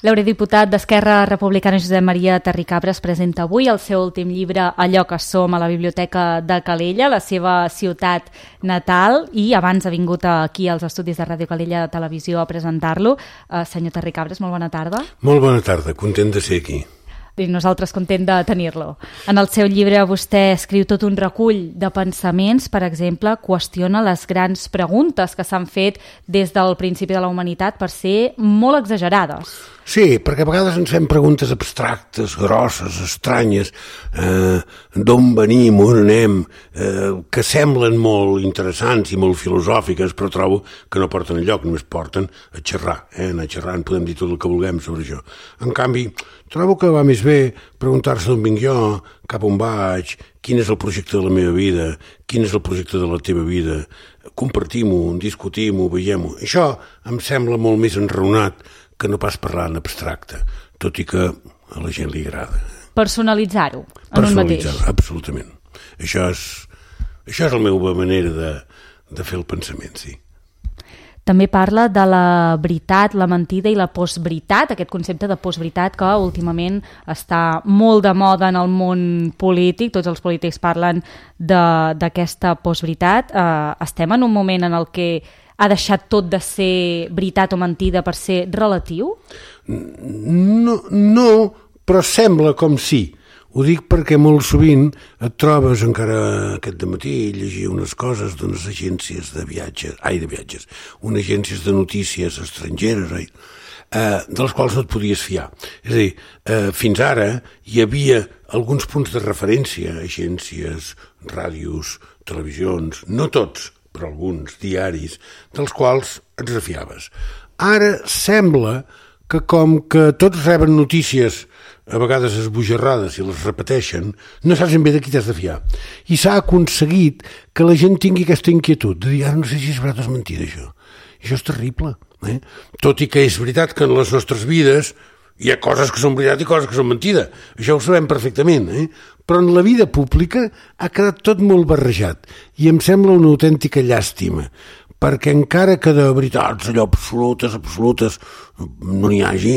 L'eurodiputat d'Esquerra Republicana Josep Maria Terricabras presenta avui el seu últim llibre Allò que som a la Biblioteca de Calella, la seva ciutat natal, i abans ha vingut aquí als estudis de Ràdio Calella de Televisió a presentar-lo. Senyor Terricabras, molt bona tarda. Molt bona tarda, content de ser aquí. I nosaltres content de tenir-lo. En el seu llibre vostè escriu tot un recull de pensaments, per exemple, qüestiona les grans preguntes que s'han fet des del principi de la humanitat per ser molt exagerades. Sí, perquè a vegades ens fem preguntes abstractes, grosses, estranyes, d'on venim, on anem, que semblen molt interessants i molt filosòfiques, però trobo que no porten enlloc, només porten a xerrar. Anar xerrant podem dir tot el que vulguem sobre això. En canvi, trobo que va més bé preguntar-se d'on vinc jo, cap on vaig, quin és el projecte de la meva vida, quin és el projecte de la teva vida, compartim-ho, discutim-ho, veiem-ho. Això em sembla molt més enraonat que no pas parlar en abstracte, tot i que a la gent li agrada. Personalitzar-ho en un mateix. Personalitzar-ho, absolutament. Això és la meva manera de fer el pensament, sí. També parla de la veritat, la mentida i la postveritat, aquest concepte de postveritat que últimament està molt de moda en el món polític, tots els polítics parlen d'aquesta postveritat. Estem en un moment en el que ha deixat tot de ser veritat o mentida per ser relatiu? No, però sembla com sí. Ho dic perquè molt sovint et trobes, encara aquest dematí, llegia unes coses d'unes agències de viatges, unes agències de notícies estrangeres, de les quals no et podies fiar. És a dir, fins ara hi havia alguns punts de referència, agències, ràdios, televisions, no tots, però alguns diaris, dels quals et refiaves. Ara sembla que com que tots reben notícies a vegades esbojarrades i les repeteixen, no saps ben bé de qui t'has de fiar. I s'ha aconseguit que la gent tingui aquesta inquietud de dir, no sé si és veritat o és mentida això. I això és terrible. Tot i que és veritat que en les nostres vides hi ha coses que són veritat i coses que són mentida. Això ho sabem perfectament, però en la vida pública ha quedat tot molt barrejat i em sembla una autèntica llàstima, perquè encara que de veritats allò absolutes no n'hi hagi,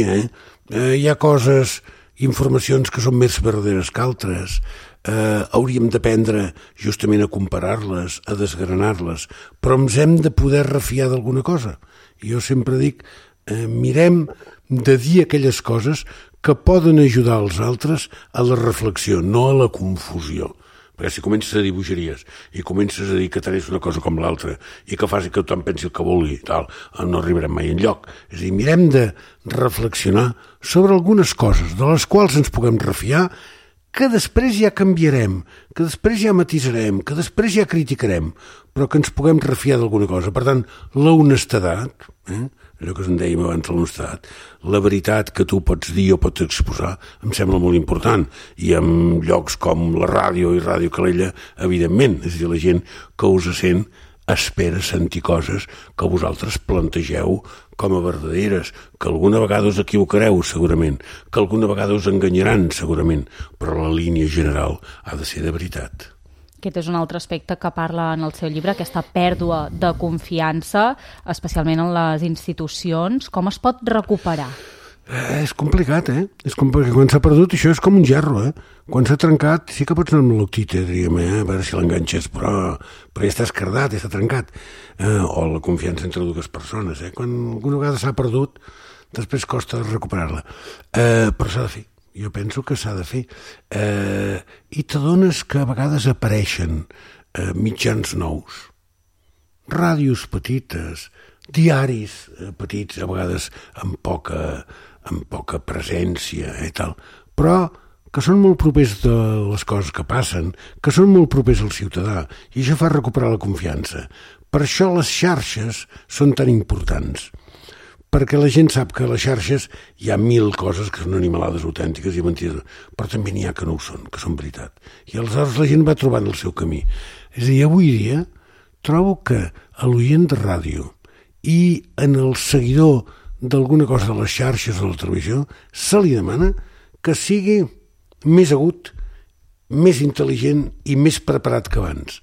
hi ha coses, informacions que són més verdaderes que altres. Hauríem d'aprendre justament a comparar-les, a desgranar-les, però ens hem de poder refiar d'alguna cosa. Jo sempre dic, mirem de dir aquelles coses que poden ajudar els altres a la reflexió, no a la confusió. Perquè si comences a dir bogeries i comences a dir que tant és una cosa com l'altra i que faci que tothom pensi el que vulgui, no arribarem mai enlloc. És a dir, mirem de reflexionar sobre algunes coses de les quals ens puguem refiar, que després ja canviarem, que després ja matisarem, que després ja criticarem, però que ens puguem refiar d'alguna cosa. Per tant, la honestedat, allò que en dèiem abans de l'honestedat, la veritat que tu pots dir o pots exposar em sembla molt important, i en llocs com la ràdio i Ràdio Calella, evidentment, és a dir, la gent que us sent espera sentir coses que vosaltres plantegeu com a verdaderes, que alguna vegada us equivocareu segurament, que alguna vegada us enganyaran segurament, però la línia general ha de ser de veritat. Aquest és un altre aspecte que parla en el seu llibre, aquesta pèrdua de confiança, especialment en les institucions. Com es pot recuperar? És complicat, És complicat. Quan s'ha perdut això és com un gerro, Quan s'ha trencat sí que pots anar amb l'octita, diríem, a veure si l'enganxes, però ja està escardat, ja està trencat. O la confiança entre dues persones, Quan alguna vegada s'ha perdut, després costa recuperar-la. Però s'ha de fer. Jo penso que s'ha de fer. I t'adones que a vegades apareixen mitjans nous, ràdios petites, diaris petits, a vegades amb poca presència i tal, però que són molt propers de les coses que passen, que són molt propers al ciutadà, i això fa recuperar la confiança. Per això les xarxes són tan importants, perquè la gent sap que a les xarxes hi ha 1000 coses que són animalades autèntiques i mentides, però també n'hi ha que no ho són, que són veritat. I aleshores la gent va trobant el seu camí. És a dir, avui dia trobo que a l'oient de ràdio i en el seguidor d'alguna cosa de les xarxes o de la televisió se li demana que sigui més agut, més intel·ligent i més preparat que abans.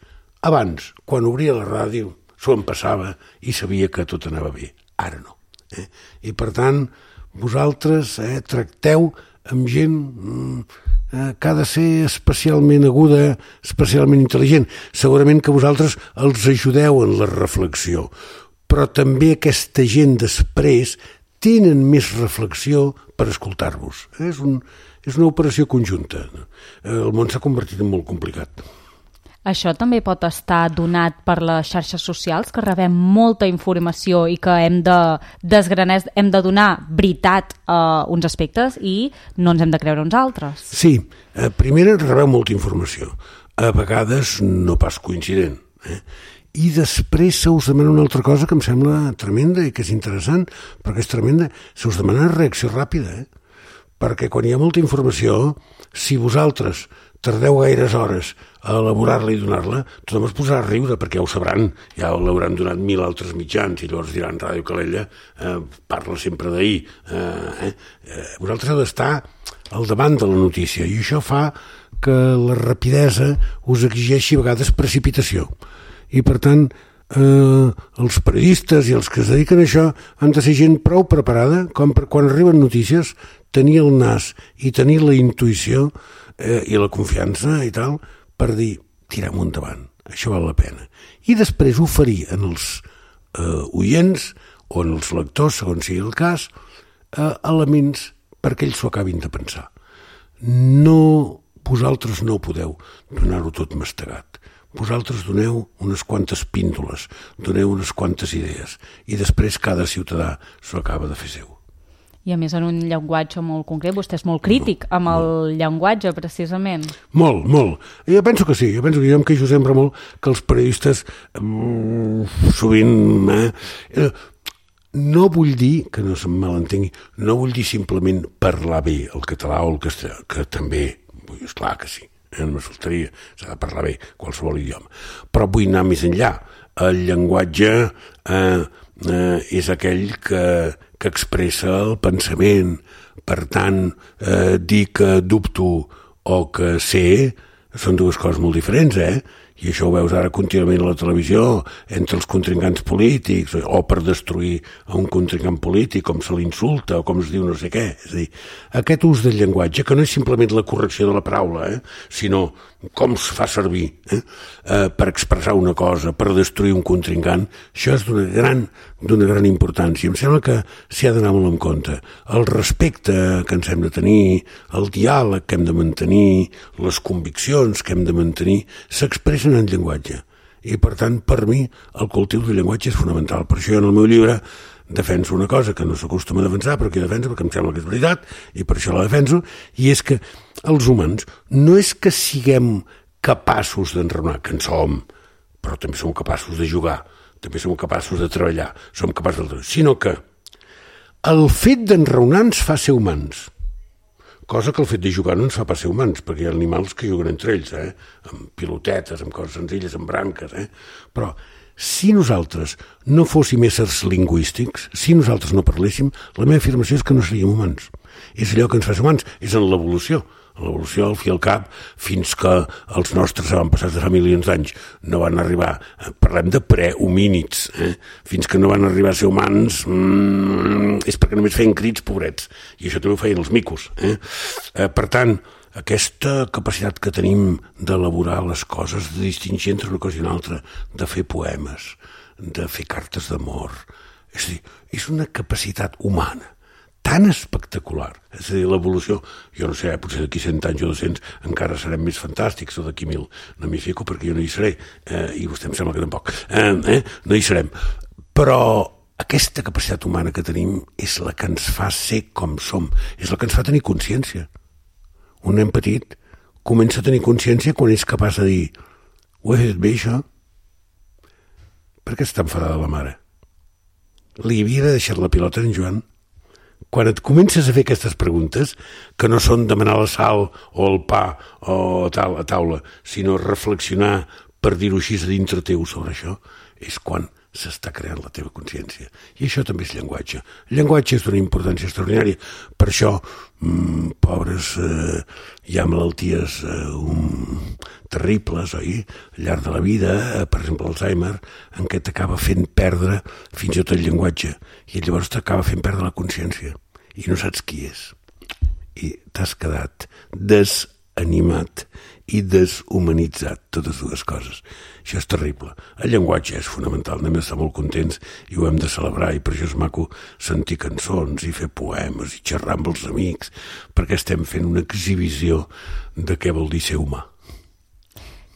Abans, quan obria la ràdio, s'ho empassava i sabia que tot anava bé. Ara no. I per tant, vosaltres tracteu amb gent que ha de ser especialment aguda, especialment intel·ligent. Segurament que vosaltres els ajudeu en la reflexió, però també aquesta gent després tenen més reflexió per escoltar-vos. És una operació conjunta. El món s'ha convertit en molt complicat. Això també pot estar donat per les xarxes socials, que rebem molta informació i que hem de desgranar, hem de donar veritat a uns aspectes i no ens hem de creure uns altres. Sí, primer rebeu molta informació, a vegades no pas coincident, i després se us demana una altra cosa que em sembla tremenda i que és interessant, perquè és tremenda, se us demana reacció ràpida, perquè quan hi ha molta informació, si vosaltres tardeu gaires hores a elaborar-la i donar-la, tothom es posarà a riure, perquè ja ho sabran, ja l'hauran donat 1000 altres mitjans, i llavors diran Ràdio Calella parla sempre d'ahir. Vosaltres heu d'estar al davant de la notícia, i això fa que la rapidesa us exigeixi a vegades precipitació. I per tant, els periodistes i els que es dediquen a això han de ser gent prou preparada com per quan arriben notícies tenir el nas i tenir la intuïció i la confiança i tal per dir, tirem endavant, això val la pena. I després oferir en els oients o en els lectors, segons sigui el cas, elements perquè ells s'ho acabin de pensar. Vosaltres no podeu donar-ho tot mastegat. Vosaltres doneu unes quantes píndoles, doneu unes quantes idees i després cada ciutadà s'ho acaba de fer seu. I a més en un llenguatge molt concret, vostè és molt crític amb el llenguatge, precisament. Molt, molt. Jo penso que sí, jo em queixo sempre molt que els periodistes sovint... No vull dir, que no se'm malentengui, no vull dir simplement parlar bé el català o el castellà, que també, esclar que sí, no me faltaria, s'ha de parlar bé qualsevol idioma. Però vull anar més enllà. El llenguatge és aquell que expressa el pensament. Per tant, dir que dubto o que sé són dues coses molt diferents, I això ho veus ara contínuament a la televisió, entre els contrincants polítics, o per destruir a un contrincant polític, com se l'insulta, o com es diu no sé què. És a dir, aquest ús del llenguatge, que no és simplement la correcció de la paraula, sinó com es fa servir per expressar una cosa, per destruir un contrincant, això és d'una gran importància. Em sembla que s'hi ha d'anar molt en compte. El respecte que ens hem de tenir, el diàleg que hem de mantenir, les conviccions que hem de mantenir, s'expressen en llenguatge. I, per tant, per mi, el cultiu del llenguatge és fonamental. Per això jo en el meu llibre defenso una cosa que no s'acostuma a defensar, però que defenso perquè em sembla que és veritat, i per això la defenso, i és que els humans no és que siguem capaços d'enraonar, que en som, però també som capaços de jugar, també som capaços de treballar, som capaços de... sinó que el fet d'enraonar ens fa ser humans, cosa que el fet de jugar no ens fa pas ser humans, perquè hi ha animals que juguen entre ells, amb pilotetes, amb coses senzilles, amb branques, però si nosaltres no fóssim éssers lingüístics, si nosaltres no parléssim, la meva afirmació és que no seríem humans. És allò que ens fa ser humans, és en l'evolució. L'evolució, al fi al cap, fins que els nostres avantpassats de fa milions d'anys no van arribar, parlem de prehomínids, fins que no van arribar a ser humans, és perquè només feien crits, pobrets, i això també ho feien els micos. Per tant, aquesta capacitat que tenim d'elaborar les coses, de distingir entre una cosa i una altra, de fer poemes, de fer cartes d'amor, és a dir, és una capacitat humana tan espectacular. És a dir, l'evolució, jo no sé, potser d'aquí 100 anys o 200 encara serem més fantàstics, o d'aquí 1000, no m'hi fico perquè jo no hi seré, i vostè em sembla que tampoc, no hi serem. Però aquesta capacitat humana que tenim és la que ens fa ser com som, és la que ens fa tenir consciència. Un nen petit comença a tenir consciència quan és capaç de dir ho he fet bé, això? Per què està enfadada la mare? Li havia de deixar la pilota en Joan? Quan et comences a fer aquestes preguntes, que no són demanar la sal o el pa o tal a taula, sinó reflexionar, per dir-ho així, a dintre teu sobre això, és quan s'està creant la teva consciència. I això també és llenguatge. El llenguatge és d'una importància extraordinària. Per això, pobres, hi ha malalties terribles, oi? Al llarg de la vida, per exemple, l'Alzheimer, en què t'acaba fent perdre fins i tot el llenguatge. I llavors t'acaba fent perdre la consciència. i no saps qui és. I t'has quedat desanimat i deshumanitzat, totes dues coses. Això és terrible. El llenguatge és fonamental, anem a estar molt contents i ho hem de celebrar, i per això és maco sentir cançons i fer poemes i xerrar amb els amics, perquè estem fent una exhibició de què vol dir ser humà.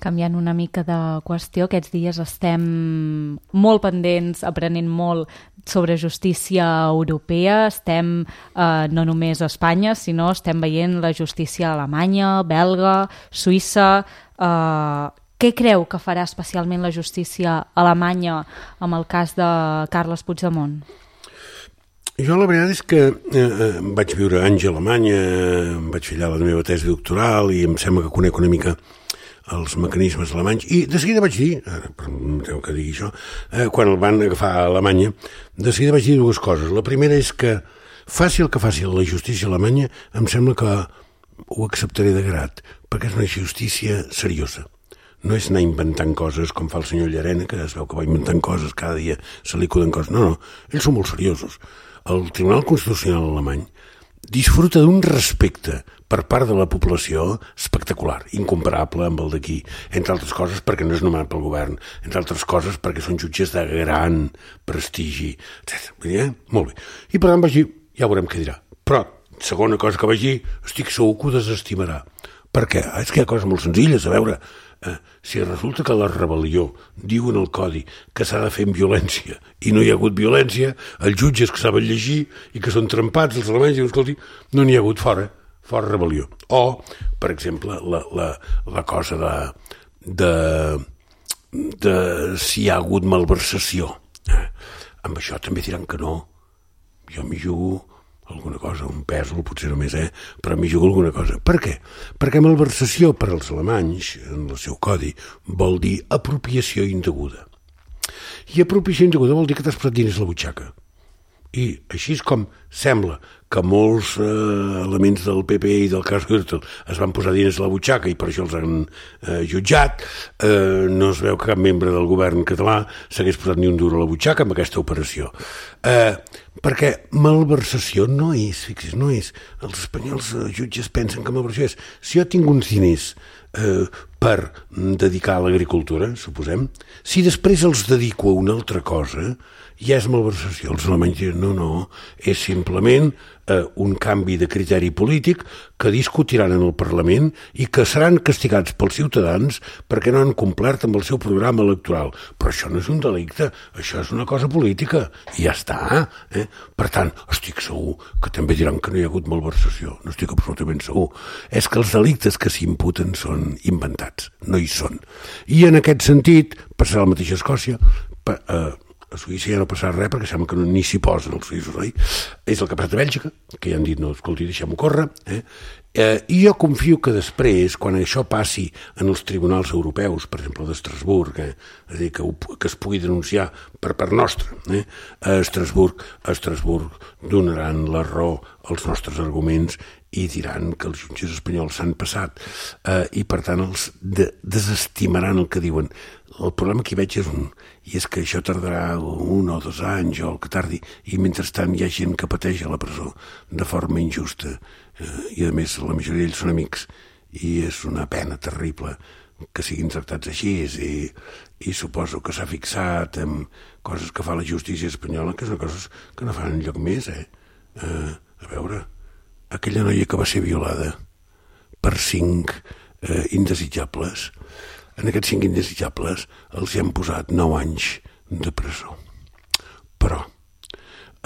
Canviant una mica de qüestió, aquests dies estem molt pendents, aprenent molt sobre justícia europea. Estem no només a Espanya, sinó estem veient la justícia alemanya, belga, suïssa. Què creu que farà especialment la justícia alemanya amb el cas de Carles Puigdemont? Jo la veritat és que vaig viure anys a Alemanya, vaig fer allà la meva tesi doctoral i em sembla que conec una mica els mecanismes alemanys, i de seguida vaig dir, tengo que dir això, quan el van agafar a Alemanya, de seguida vaig dir dues coses. La primera és que faci el que faci la justícia alemanya, em sembla que ho acceptaré de grat, perquè és una justícia seriosa. No és anar inventant coses com fa el senyor Llarena, que es veu que va inventant coses, cada dia se li acuden coses. No, ells són molt seriosos. El Tribunal Constitucional alemany disfruta d'un respecte per part de la població espectacular, incomparable amb el d'aquí, entre altres coses perquè no és nomenat pel govern, entre altres coses perquè són jutges de gran prestigi, etc. Molt bé. I per tant vaig dir, ja veurem què dirà. Però, segona cosa que vaig dir, estic segur que ho desestimarà. Per què? És que hi ha coses molt senzilles, a veure, si resulta que la rebel·lió diu en el codi que s'ha de fer amb violència i no hi ha hagut violència, els jutges que saben llegir i que són trempats, els alemanys diuen, escolti, no n'hi ha hagut fora rebel·lió. O, per exemple, la cosa de si hi ha hagut malversació. Amb això també diran que no. Jo m'hi jugo alguna cosa, un pèsol, potser només, però m'hi jugo alguna cosa. Per què? Perquè malversació per als alemanys, en el seu codi, vol dir apropiació indeguda. I apropiació indeguda vol dir que t'has posat diners a la butxaca. I així és com sembla que molts elements del PP i del cas Gürtel es van posar diners a la butxaca i per això els han jutjat. No es veu que cap membre del govern català s'hagués posat ni un duro a la butxaca amb aquesta operació. Perquè malversació no és, fixi's, no és. Els espanyols jutges pensen que malversació és si jo tinc uns diners per dedicar a l'agricultura, suposem, si després els dedico a una altra cosa, ja és malversació. Els alemanys diuen, no, és simplement un canvi de criteri polític que discutiran en el Parlament i que seran castigats pels ciutadans perquè no han complert amb el seu programa electoral. Però això no és un delicte, això és una cosa política i ja està. Per tant, estic segur que també diran que no hi ha hagut malversació. No estic absolutament segur. És que els delictes que s'imputen són inventats, no hi són. I en aquest sentit, passarà el mateix a Escòcia, a Suïssa ja no passarà res perquè sembla que ni s'hi posen els suïssos, oi? És el que ha passat a Bèlgica, que ja han dit, no, escolti, deixem-ho córrer. I jo confio que després, quan això passi en els tribunals europeus, per exemple d'Estrasburg, és a dir, que es pugui denunciar per part nostra, a Estrasburg donaran la raó als nostres arguments i diran que els jutges espanyols s'han passat i per tant els desestimaran el que diuen. El problema que hi veig és i és que això tardarà 1 o 2 anys o el que tardi, i mentrestant hi ha gent que pateix a la presó de forma injusta i a més la majoria d'ells són amics i és una pena terrible que siguin tractats així i suposo que s'ha fixat en coses que fa la justícia espanyola que són coses que no fan enlloc més. A veure, aquella noia que va ser violada per 5 indesitjables, en aquests 5 indesitjables els hi han posat 9 anys de presó. Però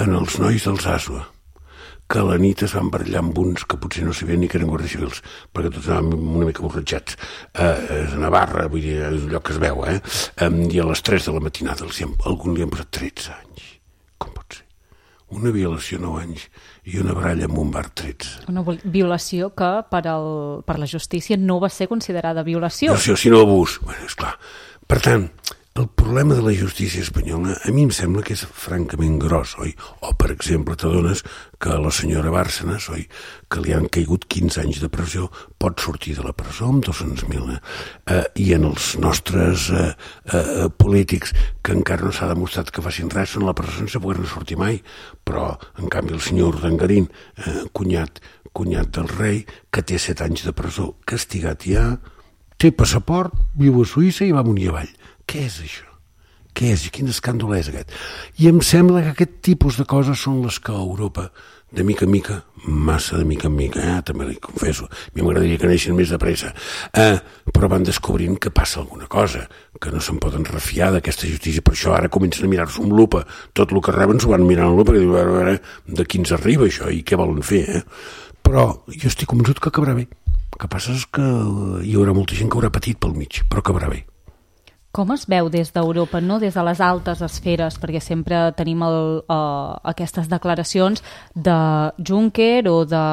en els nois dels Asua, que a la nit es van barallar amb uns que potser no sabien ni que eren guàrdies civils, perquè tots anàvem una mica borratxats, a Navarra, vull dir, és un lloc que es veu, i a les 3 de la matinada algun li han posat 13 anys. Com pot ser? Una violació 9 anys i una baralla en un bar 13. Una violació que per la justícia no va ser considerada violació. Violació, sinó abús. Bé, esclar. Per tant, el problema de la justícia espanyola a mi em sembla que és francament gros, oi? O, per exemple, t'adones que la senyora Bárcenas, oi, que li han caigut 15 anys de presó, pot sortir de la presó amb 200.000. I en els nostres polítics, que encara no s'ha demostrat que facin res, són a la presó sense poder-ne sortir mai. Però, en canvi, el senyor Urdangarín, cunyat del rei, que té 7 anys de presó, castigat ja, té passaport, viu a Suïssa i va amunt i avall. Què és això? Què és? Quin escàndol és aquest? I em sembla que aquest tipus de coses són les que a Europa, de mica en mica, massa de mica en mica, també li confesso, a mi m'agradaria que neixen més de pressa, però van descobrint que passa alguna cosa, que no se'n poden refiar d'aquesta justícia, per això ara comencen a mirar-s'ho amb lupa, tot el que reben s'ho van mirar amb lupa, i diuen, a veure, de qui ens arriba això i què volen fer, Però jo estic convençut que acabarà bé. El que passa és que hi haurà molta gent que haurà patit pel mig, però acabarà bé. Com es veu des d'Europa, no des de les altes esferes, perquè sempre tenim aquestes declaracions de Juncker o de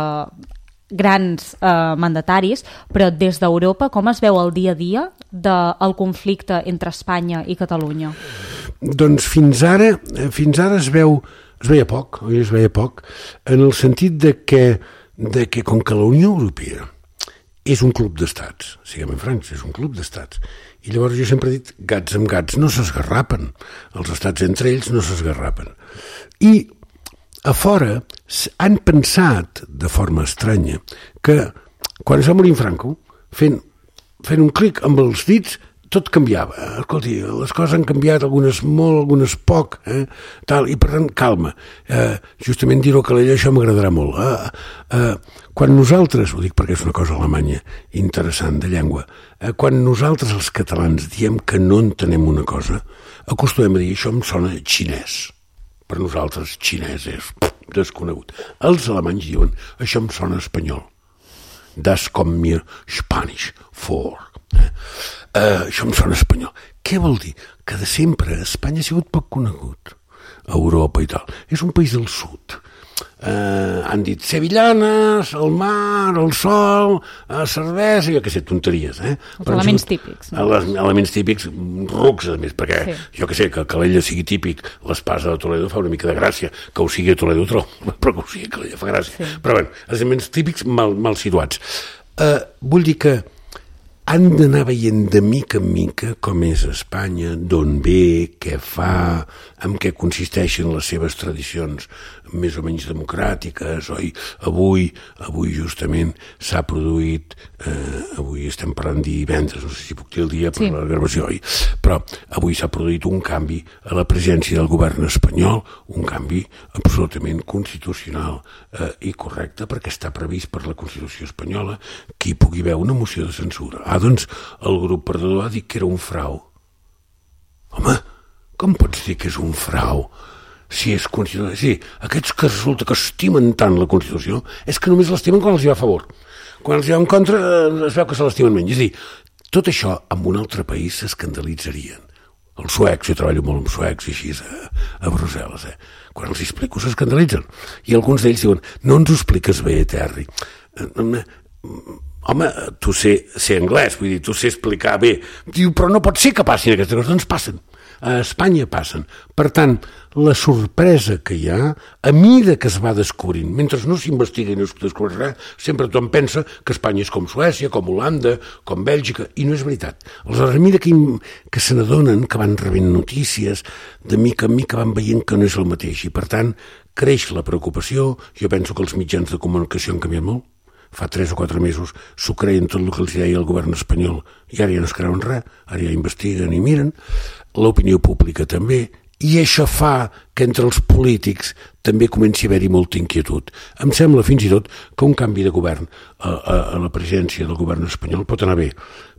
grans mandataris, però des d'Europa com es veu el dia a dia del conflicte entre Espanya i Catalunya? Doncs fins ara es veia poc, en el sentit de que com que la Unió Europea és un club d'estats, siguem francs, és un club d'estats, i llavors jo sempre he dit, gats amb gats no s'esgarrapen, els estats entre ells no s'esgarrapen. I a fora han pensat, de forma estranya, que quan es va morir Franco, fent un clic amb els dits, tot canviava. Escolti, les coses han canviat, algunes molt, algunes poc, tal, i per tant, calma. Justament dir-ho a Calella, això m'agradarà molt. Quan nosaltres, ho dic perquè és una cosa alemanya interessant de llengua, quan nosaltres els catalans diem que no entenem una cosa, acostumem a dir, això em sona xinès. Per nosaltres, xinès és desconegut. Els alemanys diuen, això em sona espanyol. Das kommt mir Spanisch vor. Això em sona espanyol. Què vol dir? Que de sempre Espanya ha sigut poc conegut. Europa i tal. És un país del sud. Han dit sevillanes, el mar, el sol, cervesa, jo què sé, tonteries. Els elements típics. No? Elements típics, rucs, a més, perquè jo què sé, que Calella sigui típic, l'espasa de Toledo fa una mica de gràcia, que ho sigui a Toledo, però que ho sigui a Calella fa gràcia. Sí. Però bé, els elements típics mal situats. Vull dir que han d'anar veient de mica en mica com és Espanya, d'on ve, què fa, en què consisteixen les seves tradicions més o menys democràtiques, oi? Avui justament s'ha produït, avui estem parlant divendres, no sé si puc dir el dia per la gravació, oi? Però avui s'ha produït un canvi a la presidència del govern espanyol, un canvi absolutament constitucional i correcte, perquè està previst per la Constitució espanyola que hi pugui haver una moció de censura. Doncs el grup perdedor ha dit que era un frau. Home, com pots dir que és un frau? Si és constitucional. Sí, aquests que resulta que estimen tant la Constitució és que només l'estimen quan els hi va a favor. Quan els hi va en contra es veu que se l'estimen menys. És a dir, tot això en un altre país s'escandalitzarien. Els suecs, jo treballo molt amb suecs i així a Brussel·les, quan els explico s'escandalitzen. I alguns d'ells diuen, no ens ho expliques bé, Terry. Home, tu sé anglès, vull dir, tu sé explicar bé. Diu, però no pot ser que passin aquestes coses. Doncs passen. A Espanya passen. Per tant, la sorpresa que hi ha, a mida que es va descobrint, mentre no s'investiga i no es descobreix res, sempre tothom pensa que Espanya és com Suècia, com Holanda, com Bèlgica, i no és veritat. Aleshores, a mida que se n'adonen, que van rebent notícies, de mica en mica van veient que no és el mateix, i per tant, creix la preocupació. Jo penso que els mitjans de comunicació han canviat molt. Fa 3 o 4 mesos s'ho creien tot el que els deia el govern espanyol i ara ja no es creuen res, ara ja investiguen i miren, l'opinió pública també, i això fa que entre els polítics també comenci a haver-hi molta inquietud. Em sembla fins i tot que un canvi de govern a la presidència del govern espanyol pot anar bé,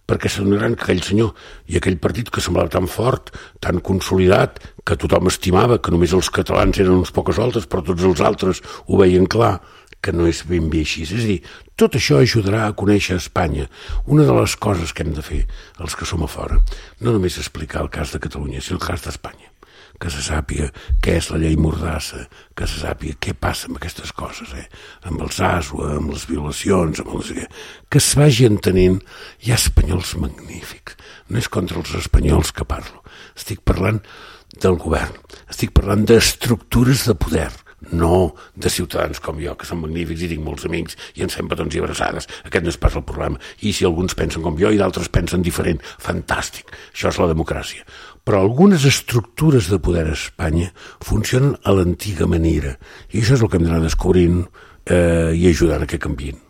perquè s'adonaran que aquell senyor i aquell partit que semblava tan fort, tan consolidat, que tothom estimava, que només els catalans eren uns pocs altres, però tots els altres ho veien clar, que no és ben bé així. És a dir, tot això ajudarà a conèixer Espanya. Una de les coses que hem de fer, els que som a fora, no només explicar el cas de Catalunya, sinó el cas d'Espanya. que se sàpiga què és la llei Mordassa, que se sàpiga què passa amb aquestes coses, amb els ASUA, amb les violacions, amb els... que es vagi entenent. Hi ha espanyols magnífics. No és contra els espanyols que parlo. Estic parlant del govern. Estic parlant d'estructures de poder, no de ciutadans com jo, que són magnífics i tinc molts amics i ens fem petons i abraçades. Aquest no és pas el problema. I si alguns pensen com jo i d'altres pensen diferent, fantàstic. Això és la democràcia. Però algunes estructures de poder a Espanya funcionen a l'antiga manera. I això és el que hem d'anar descobrint i ajudant a que canviïn.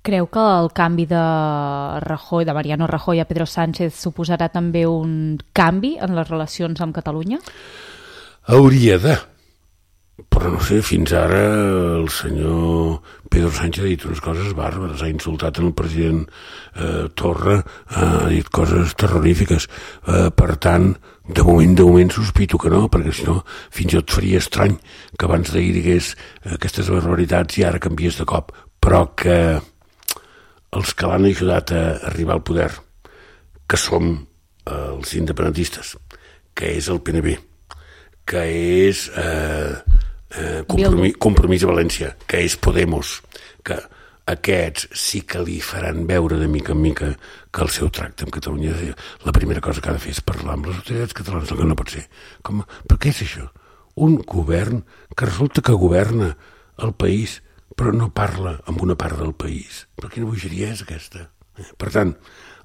Creu que el canvi de Rajoy, de Mariano Rajoy a Pedro Sánchez suposarà també un canvi en les relacions amb Catalunya? Hauria de. Però no sé, fins ara el senyor Pedro Sánchez ha dit unes coses bàrbares, ha insultat el president Torra, ha dit coses terrorífiques. Per tant, de moment sospito que no, perquè si no, fins i tot faria estrany que abans d'ahir digués aquestes barbaritats i ara canvies de cop. Però que els que l'han ajudat a arribar al poder, que som els independentistes, que és el PNB, que és Compromís a València, que és Podemos, que aquests sí que li faran veure de mica en mica que el seu tracte amb Catalunya, la primera cosa que ha de fer és parlar amb les autoritats catalanes, el que no pot ser. Per què és això? Un govern que resulta que governa el país però no parla amb una part del país. Però quina bogeria és aquesta? Per tant,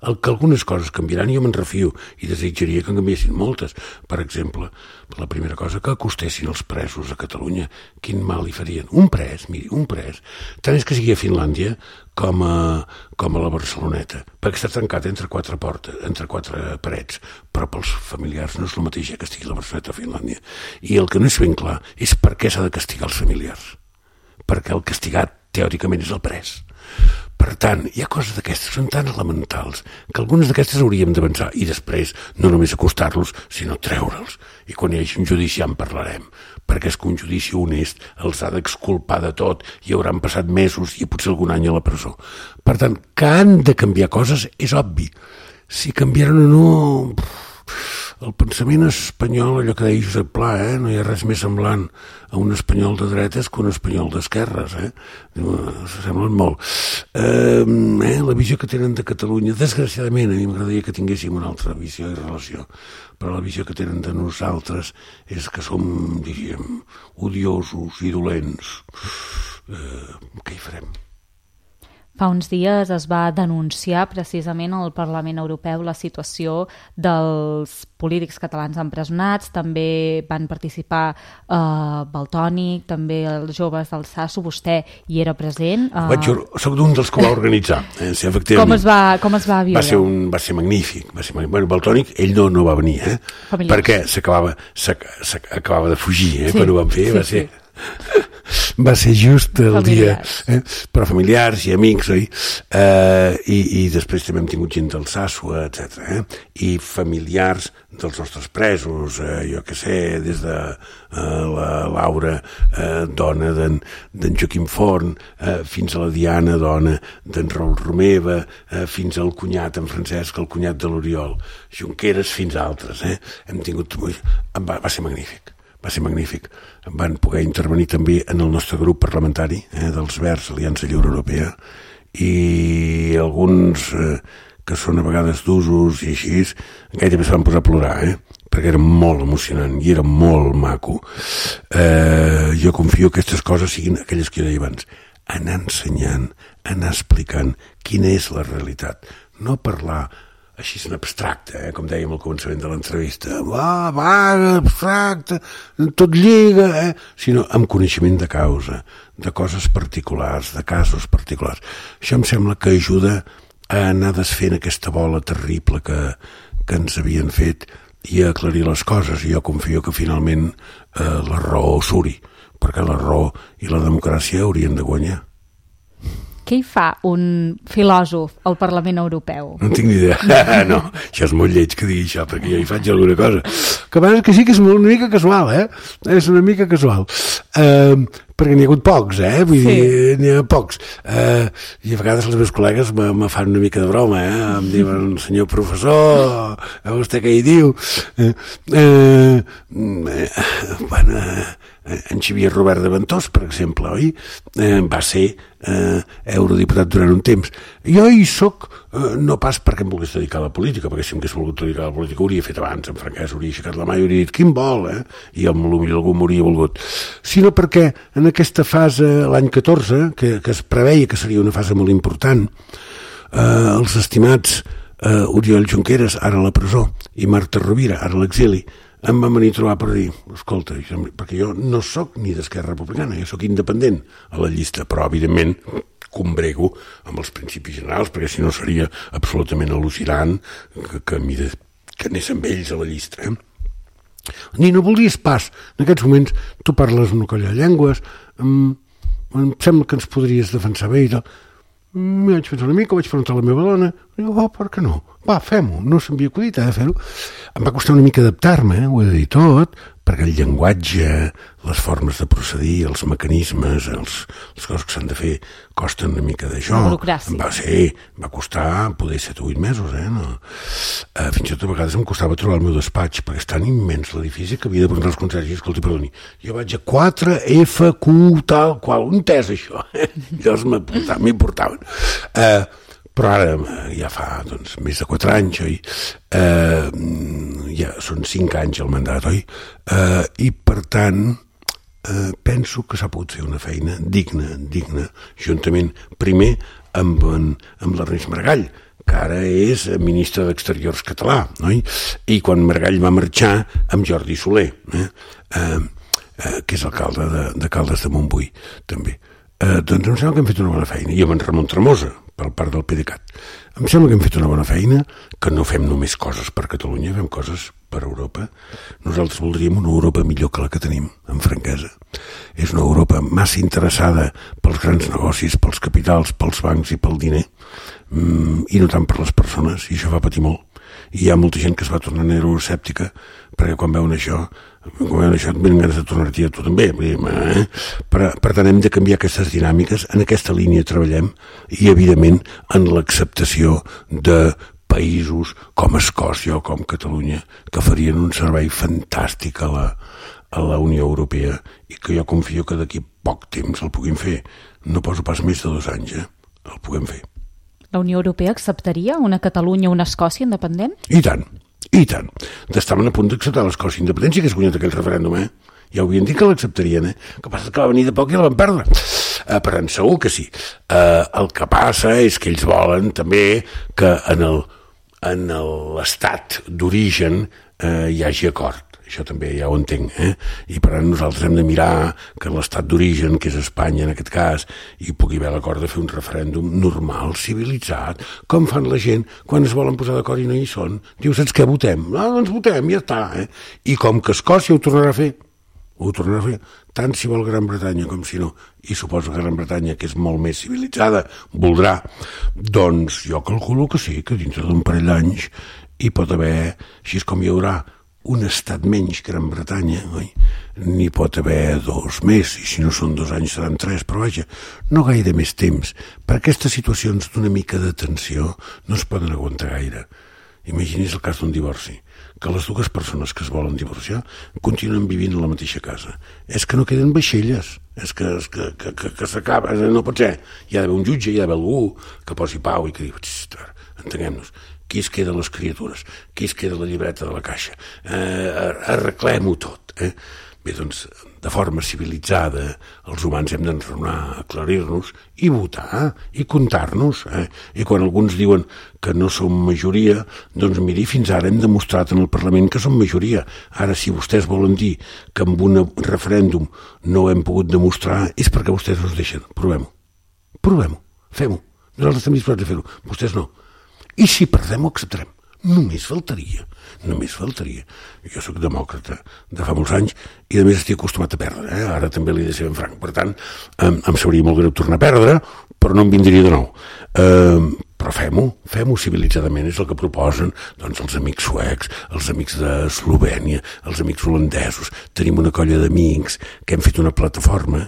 que algunes coses canviaran, jo me'n refio i desitjaria que en canviessin moltes. Per exemple, la primera cosa, que acostessin els presos a Catalunya. Quin mal li farien? Un pres, miri, un pres. Tant és que sigui a Finlàndia com a la Barceloneta, perquè està tancat entre quatre parets, però pels familiars no és el mateix que estigui la Barceloneta a Finlàndia. I el que no és ben clar és per què s'ha de castigar els familiars. Perquè el castigat, teòricament, és el pres. Per tant, hi ha coses d'aquestes que són tan elementals que algunes d'aquestes hauríem d'avançar i després no només acostar-los, sinó treure'ls. I quan hi hagi un judici ja en parlarem, perquè és que un judici honest els ha d'exculpar de tot i hauran passat mesos i potser algun any a la presó. Per tant, que han de canviar coses és obvi. Si canviaran o no... El pensament espanyol, allò que deia Josep Pla, no hi ha res més semblant a un espanyol de dretes que un espanyol d'esquerres. S'assemblen molt. La visió que tenen de Catalunya, desgraciadament, a mi m'agradaria que tinguéssim una altra visió i relació, però la visió que tenen de nosaltres és que som, diríem, odiosos i dolents. Què hi farem? Fa uns dies es va denunciar precisament al Parlament Europeu la situació dels polítics catalans empresonats, també van participar Valtònyc, també els joves del SASU, vostè hi era present. Soc d'un dels que ho va organitzar. Sí, efectivament. Com es va viure? Va ser magnífic. Bueno, Valtònyc, ell no va venir, perquè s'acabava de fugir, quan ho van fer, va ser... Va ser just el familiars. Dia, però familiars i amics, oi? I després també hem tingut gent del SASUA, etc. I familiars dels nostres presos, jo que sé, des de la Laura, dona d'en Joaquim Forn, fins a la Diana, dona d'en Raül Romeva, fins al cunyat, en Francesc, el cunyat de l'Oriol Junqueras, fins a altres. Hem tingut... Va ser magnífic. Va ser magnífic. Van poder intervenir també en el nostre grup parlamentari dels Verds, Aliança Lliure Europea, i alguns que són a vegades d'usos i així, gairebé es van posar a plorar, perquè era molt emocionant i era molt maco. Jo confio que aquestes coses siguin aquelles que jo deia abans, anar ensenyant, anar explicant quina és la realitat, no parlar així en abstracte, com dèiem al començament de l'entrevista, abstracte, tot lliga, sinó amb coneixement de causa, de coses particulars, de casos particulars. Això em sembla que ajuda a anar desfent aquesta bola terrible que ens havien fet i a aclarir les coses, i jo confio que finalment la raó suri, perquè la raó i la democràcia haurien de guanyar. Què hi fa un filòsof al Parlament Europeu? No en tinc ni idea. No, això és molt lleig que digui això, perquè jo hi faig alguna cosa. Que a vegades que sí que és una mica casual, És una mica casual. perquè n'hi ha hagut pocs, vull dir, n'hi ha pocs. I a vegades els meus col·legues me fan una mica de broma, em diuen, senyor professor, vostè què hi diu? En Xavier Robert de Ventós, per exemple, oi? Va ser eurodiputat durant un temps. Jo hi soc, no pas perquè em volgués dedicar a la política, perquè si em hagués volgut dedicar a la política ho hauria fet abans, en franquès, hauria aixecat la mà i hauria dit quin vol, i potser algú m'hauria volgut. Sinó perquè en aquesta fase, l'any 14, que es preveia que seria una fase molt important, els estimats Oriol Junqueras, ara a la presó, i Marta Rovira, ara a l'exili, em van venir a trobar per dir, escolta, perquè jo no sóc ni d'Esquerra Republicana, jo sóc independent a la llista, però evidentment combrego amb els principis generals, perquè si no seria absolutament al·lucinant que anés amb ells a la llista. Ni no volies pas. En aquests moments tu parles una colla de llengües, em sembla que ens podries defensar bé i tal. M'hi vaig pensar una mica, vaig preguntar a la meva dona, i dic, per què no? Va, fem-ho, no s'havia acudit de fer-ho. Em va costar una mica adaptar-me, ho he de dir tot, perquè el llenguatge, les formes de procedir, els mecanismes, les coses que s'han de fer, costen una mica d'això. Va costar poder 7 o 8 mesos, no? Fins i tot a vegades em costava trobar el meu despatx, perquè és tan immens l'edifici que havia de preguntar als consergis, escolti, perdoni, jo vaig a 4FQ tal qual, on és això? Llavors m'hi portaven. Però ara ja fa més de 4 anys, oi? Ja són 5 anys el mandat, oi? I per tant penso que s'ha pogut fer una feina digna, juntament primer amb l'Ernest Maragall, que ara és ministre d'Exteriors català, oi? I quan Maragall va marxar amb Jordi Soler, que és alcalde de Caldes de Montbui, també. Doncs em sembla que hem fet una bona feina, i amb en Ramon Tremosa, per part del PDeCAT. Em sembla que hem fet una bona feina, que no fem només coses per Catalunya, fem coses per Europa. Nosaltres voldríem una Europa millor que la que tenim, amb franquesa. És una Europa massa interessada pels grans negocis, pels capitals, pels bancs i pel diner, i no tant per les persones, i això fa patir molt. I hi ha molta gent que es va tornant euroescèptica, perquè quan veuen això et venen ganes de tornar-t'hi a tu també. Per tant, hem de canviar aquestes dinàmiques, en aquesta línia treballem, i evidentment en l'acceptació de països com Escòcia o com Catalunya, que farien un servei fantàstic a la Unió Europea, i que jo confio que d'aquí poc temps el puguin fer. No poso pas més de 2 anys, el puguem fer. La Unió Europea acceptaria una Catalunya o una Escòcia independent? I tant. Estaven a punt d'acceptar l'Escòcia independent, si hagués guanyat aquell referèndum, Ja ho havien dit que l'acceptarien, que passa que va venir de poc i la van perdre. Per tant, segur que sí. El que passa és que ells volen també que en l'estat d'origen hi hagi acord. Això també ja ho entenc, I per tant nosaltres hem de mirar que l'estat d'origen, que és Espanya en aquest cas, hi pugui haver l'acord de fer un referèndum normal, civilitzat, com fan la gent quan es volen posar d'acord i no hi són. Diu, saps què, votem? Doncs votem, ja està, I com que Escòcia ho tornarà a fer, tant si vol Gran Bretanya com si no, i suposo que Gran Bretanya, que és molt més civilitzada, voldrà, doncs jo calculo que sí, que dintre d'un parell d'anys hi pot haver, així com hi haurà un estat menys Gran Bretanya, oi? N'hi pot haver 2 més, i si no són 2 anys seran 3, però vaja, no gaire més temps. Per aquestes situacions d'una mica de tensió no es poden aguantar gaire. Imagini's el cas d'un divorci, que les 2 persones que es volen divorciar continuen vivint a la mateixa casa. És que no queden vaixelles, és que s'acaba, no pot ser. Hi ha d'haver un jutge, hi ha d'haver algú que posi pau i que digui, entenguem-nos, qui es queda les criatures, qui es queda la llibreta de la caixa, arreglem-ho tot. Bé, doncs, de forma civilitzada, els humans hem d'enraonar, aclarir-nos i votar, i comptar-nos. I quan alguns diuen que no som majoria, doncs miri, fins ara hem demostrat en el Parlament que som majoria. Ara, si vostès volen dir que amb un referèndum no ho hem pogut demostrar, és perquè vostès no es deixen. Provem-ho, fem-ho. Nosaltres estem disposats a fer-ho, vostès no. I si perdem ho acceptarem. Només faltaria. Jo sóc demòcrata de fa molts anys i a més estic acostumat a perdre. Ara també l'he de ser ben franc. Per tant, em sabria molt greu tornar a perdre, però no em vindria de nou. Però però fem-ho civilitzadament, és el que proposen doncs, els amics suecs, els amics d'Eslovènia, els amics holandesos. Tenim una colla d'amics que hem fet una plataforma,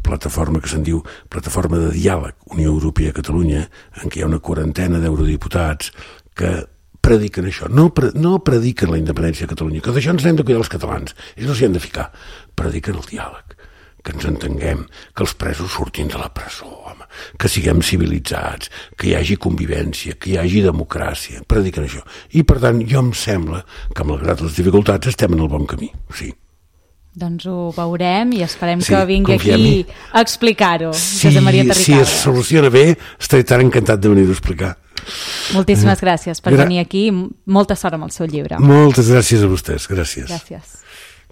plataforma que se'n diu Plataforma de Diàleg Unió Europea-Catalunya, en què hi ha una 40 d'eurodiputats que prediquen això, no prediquen la independència de Catalunya, que d'això ens n'hem de cuidar els catalans, ells no s'hi han de ficar, prediquen el diàleg, que ens entenguem, que els presos surtin de la presó, home, que siguem civilitzats, que hi hagi convivència, que hi hagi democràcia, prediquen això. I per tant, jo em sembla que malgrat les dificultats estem en el bon camí, sí. Doncs ho veurem i esperem que vingui aquí a explicar-ho, Josep Maria Terricabras. Si es soluciona bé, estaré tan encantat de venir-ho a explicar. Moltíssimes gràcies per venir aquí. Molta sort amb el seu llibre. Moltes gràcies a vostès. Gràcies. Gràcies.